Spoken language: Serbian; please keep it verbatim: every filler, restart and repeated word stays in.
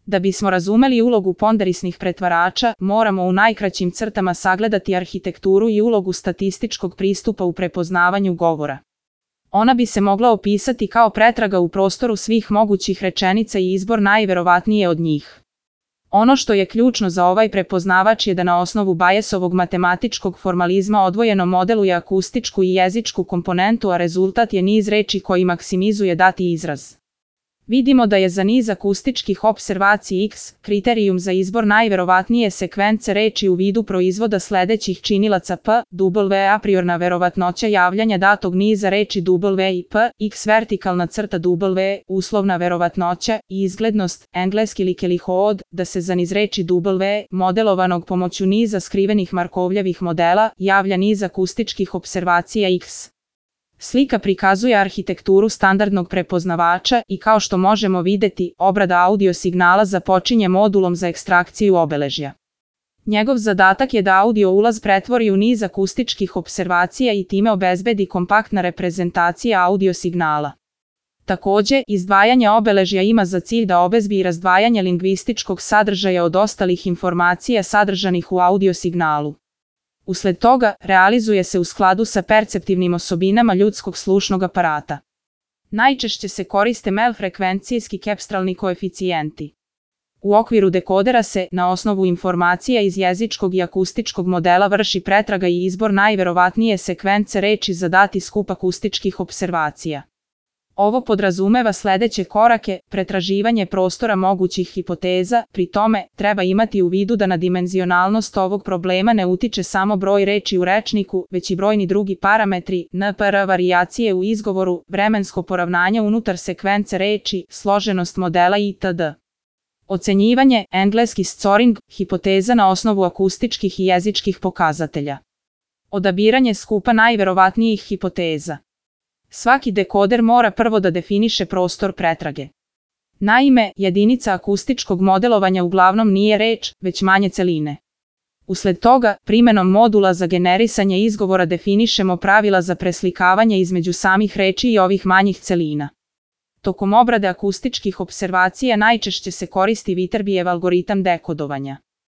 Da bismo razumeli ulogu ponderisnih pretvarača, moramo u najkraćim crtama sagledati arhitekturu i ulogu statističkog pristupa u prepoznavanju govora. Ona bi se mogla opisati kao pretraga u prostoru svih mogućih rečenica i izbor najverovatnije od njih. Ono što je ključno za ovaj prepoznavač je da na osnovu Bayesovog matematičkog formalizma odvojeno modeluje akustičku i jezičku komponentu, a rezultat je niz reči koji maksimizuje dati izraz. Vidimo da je za niz akustičkih opservacija X kriterijum za izbor najverovatnije sekvence reči u vidu proizvoda sledećih činilaca P, W a priorna verovatnoća javljanja datog niza reči W i P, X vertikalna crta W, uslovna verovatnoća i izglednost, engleski likelihood, da se za niz reči W, modelovanog pomoću niza skrivenih Markovljevih modela, javlja niz akustičkih opservacija X. Slika prikazuje arhitekturu standardnog prepoznavača i kao što možemo videti, obrada audio signala započinje modulom za ekstrakciju obeležja. Njegov zadatak je da audio ulaz pretvori u niz akustičkih opservacija i time obezbedi kompaktna reprezentacija audio signala. Takođe, izdvajanje obeležja ima za cilj da obezbedi razdvajanje lingvističkog sadržaja od ostalih informacija sadržanih u audio signalu. Usled toga, realizuje se u skladu sa perceptivnim osobinama ljudskog slušnog aparata. Najčešće se koriste melfrekvencijski kepstralni koeficijenti. U okviru dekodera se, na osnovu informacija iz jezičkog i akustičkog modela, vrši pretraga i izbor najverovatnije sekvence reči za dati skup akustičkih opservacija. Ovo podrazumeva sledeće korake: pretraživanje prostora mogućih hipoteza, pri tome treba imati u vidu da na dimenzionalnost ovog problema ne utiče samo broj reči u rečniku, već i brojni drugi parametri, N P R, varijacije u izgovoru, vremensko poravnanje unutar sekvence reči, složenost modela itd. Ocenjivanje, engleski scoring, hipoteza na osnovu akustičkih i jezičkih pokazatelja. Odabiranje skupa najverovatnijih hipoteza. Svaki dekoder mora prvo da definiše prostor pretrage. Naime, jedinica akustičkog modelovanja uglavnom nije reč, već manje celine. Usled toga, primenom modula za generisanje izgovora definišemo pravila za preslikavanje između samih reči i ovih manjih celina. Tokom obrade akustičkih opservacija najčešće se koristi Viterbijev algoritam dekodovanja.